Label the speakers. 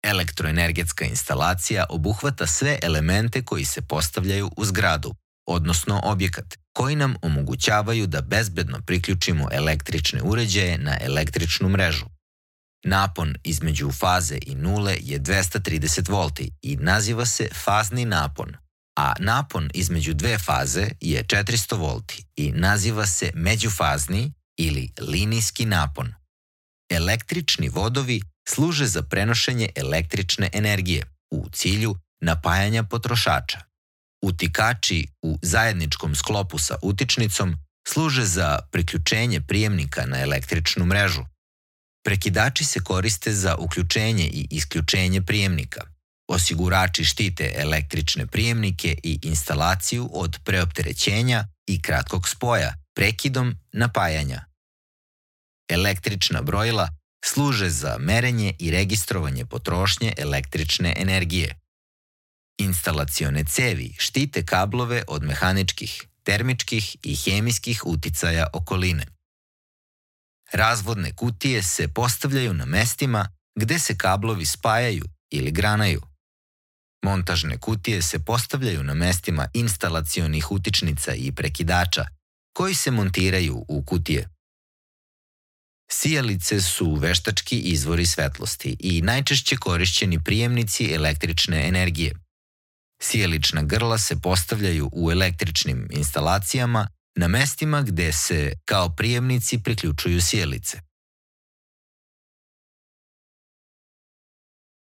Speaker 1: Elektroenergetska instalacija obuhvata sve elemente koji se postavljaju u zgradu, odnosno objekat, koji nam omogućavaju da bezbedno priključimo električne uređaje na električnu mrežu. Napon između faze i nule je 230 volti i naziva se fazni napon, a napon između dve faze je 400 volti i naziva se međufazni ili linijski napon. Električni vodovi služe za prenošenje električne energije u cilju napajanja potrošača. Utikači u zajedničkom sklopu sa utičnicom služe za priključenje prijemnika na električnu mrežu. Prekidači se koriste za uključenje i isključenje prijemnika. Osigurači štite električne prijemnike i instalaciju od preopterećenja i kratkog spoja prekidom napajanja. Električna brojila služe za merenje i registrovanje potrošnje električne energije. Instalacione cevi štite kablove od mehaničkih, termičkih i hemijskih uticaja okoline. Razvodne kutije se postavljaju na mestima gde se kablovi spajaju ili granaju. Montažne kutije se postavljaju na mestima instalacionih utičnica i prekidača koji se montiraju u kutije. Sijalice su veštački izvori svetlosti i najčešće korišćeni prijemnici električne energije. Sijalična grla se postavljaju u električnim instalacijama na mestima gde se kao prijemnici priključuju sijalice.